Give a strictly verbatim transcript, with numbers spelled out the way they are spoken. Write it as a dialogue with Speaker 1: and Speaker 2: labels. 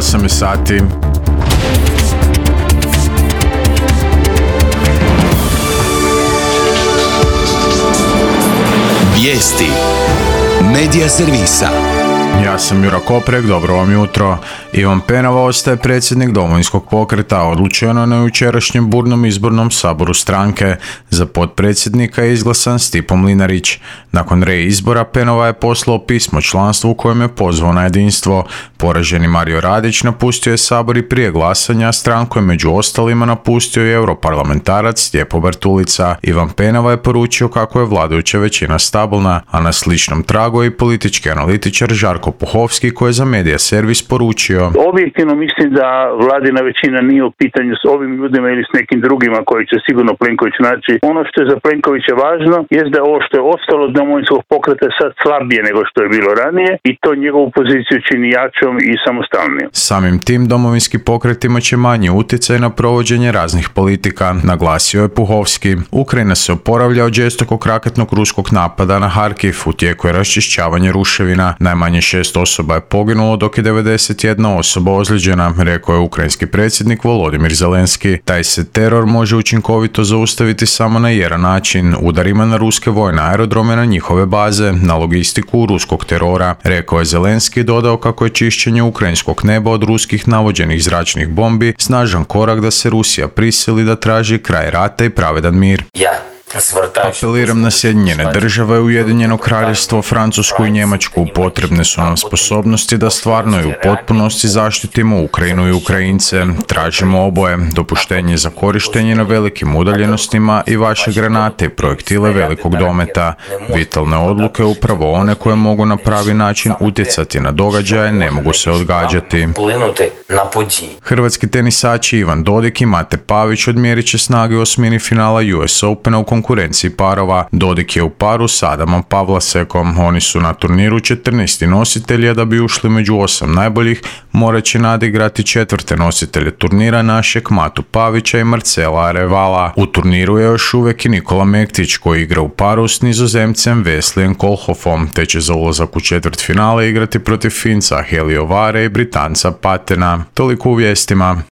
Speaker 1: osam je sati.
Speaker 2: Vijesti Medija servisa.
Speaker 1: Ja sam Jura Koprek, dobro vam jutro. Ivan Penava ostaje predsjednik Domovinskog pokreta, odlučeno na jučerašnjem burnom izbornom saboru stranke. Za potpredsjednika je izglasan Stipo Mlinarić. Nakon reizbora Penava je poslao pismo članstvu u kojem je pozvao na jedinstvo. Poraženi Mario Radić napustio je sabor i prije glasanja, a stranku je među ostalima napustio i europarlamentarac Stjepo Bartulica. Ivan Penava je poručio kako je vladajuća većina stabilna, a na sličnom tragu je i politički analitičar Žarko Puhovski koji je za Medija servis poručio:
Speaker 3: Objektivno mislim da vladina većina nije u pitanju s ovim ljudima ili s nekim drugima koji će sigurno Plenković naći. Ono što je za Plenkovića važno je da ovo što je ostalo od Domovinskog pokreta je sad slabije nego što je bilo ranije i to njegovu poziciju čini jačom i samostalnijom.
Speaker 1: Samim tim Domovinski pokret imat će manji utjecaj na provođenje raznih politika, naglasio je Puhovski. Ukrajina se oporavlja od žestokog raketnog ruskog napada na Harkiv, u tijeku je raščišćavanje ruševina. Najmanje šest osoba je poginulo, dok je devedeset jedna osoba ozlijeđena, rekao je ukrajinski predsjednik Volodimir Zelenski. Taj se teror može učinkovito zaustaviti samo na jedan način, udarima na ruske vojne aerodrome, na njihove baze, na logistiku ruskog terora, rekao je Zelenski i dodao kako je čišćenje ukrajinskog neba od ruskih navođenih zračnih bombi snažan korak da se Rusija prisili da traži kraj rata i pravedan mir.
Speaker 4: Ja.
Speaker 1: Apeliram na Sjedinjene države, Ujedinjeno kraljevstvo, Francusku i Njemačku. Potrebne su nam sposobnosti da stvarno i u potpunosti zaštitimo Ukrajinu i Ukrajince. Tražimo oboje, dopuštenje za korištenje na velikim udaljenostima i vaše granate i projektile velikog dometa. Vitalne odluke, upravo one koje mogu na pravi način utjecati na događaje, ne mogu se odgađati. Hrvatski tenisači Ivan Dodig i Mate Pavić odmjerit će snage u osmini finala U S Opena u konkurenciji parova. Dodik je u paru s Adamom Pavlasekom. Oni su na turniru četrnaesti nositelji, a da bi ušli među osam najboljih, morat će nadigrati četvrte nositelje turnira našeg Matu Pavića i Marcela Arevala. U turniru je još uvijek i Nikola Mektić koji igra u paru s Nizozemcem Veslijem Kolhofom, te će za ulazak u četvrtfinale igrati protiv Finca Heliovare i Britanca Patena. Toliko u vijestima.